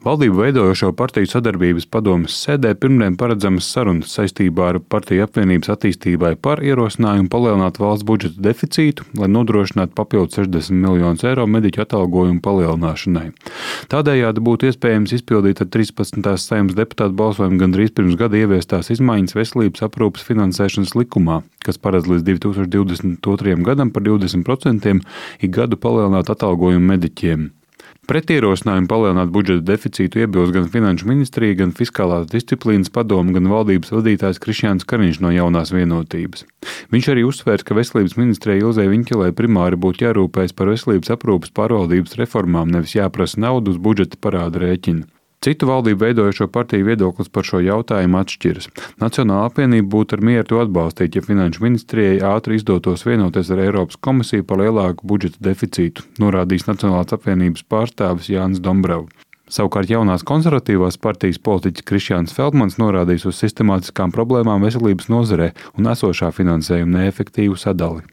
Valdību veidojošo partiju sadarbības padomes sēdē pirmdien paredzamas sarunas saistībā ar partiju apvienības attīstībai par ierosinājumu palielināt valsts budžeta deficītu, lai nodrošinātu papildus 60 miljonus eiro mediķu atalgojumu palielināšanai. Tādējādi būtu iespējams izpildīt ar 13. Saeimas deputātu balsojumu gandrīz pirms gada ieviestās izmaiņas veselības aprūpes finansēšanas likumā, kas paredz līdz 2022. gadam par 20% ik gadu palielināt atalgojumu mediķiem. Pret ierosinājumu palielināt budžeta deficītu iebilst gan Finanšu ministrija, gan Fiskālās disciplīnas padome, gan valdības vadītājs Krišjāns Kariņš no Jaunās vienotības. Viņš arī uzsvērs, ka Veselības ministrijai Ilzei Viņķelei primāri būtu jārūpējas par veselības aprūpes pārvaldības reformām, nevis jāprasa naudu uz budžeta parāda rēķina. Citu valdību veidojošo partiju viedoklis par šo jautājumu atšķiras. Nacionālā apvienība būtu ar mieru to atbalstīt, ja Finanšu ministrijai ātri izdotos vienoties ar Eiropas komisiju par lielāku budžeta deficītu, norādījis Nacionālās apvienības pārstāvis Jānis Dombrovs. Savukārt jaunās konservatīvās partijas politiķis Krišjāns Feldmans norādījis uz sistemātiskām problēmām veselības nozarē un esošā finansējuma neefektīvu sadali.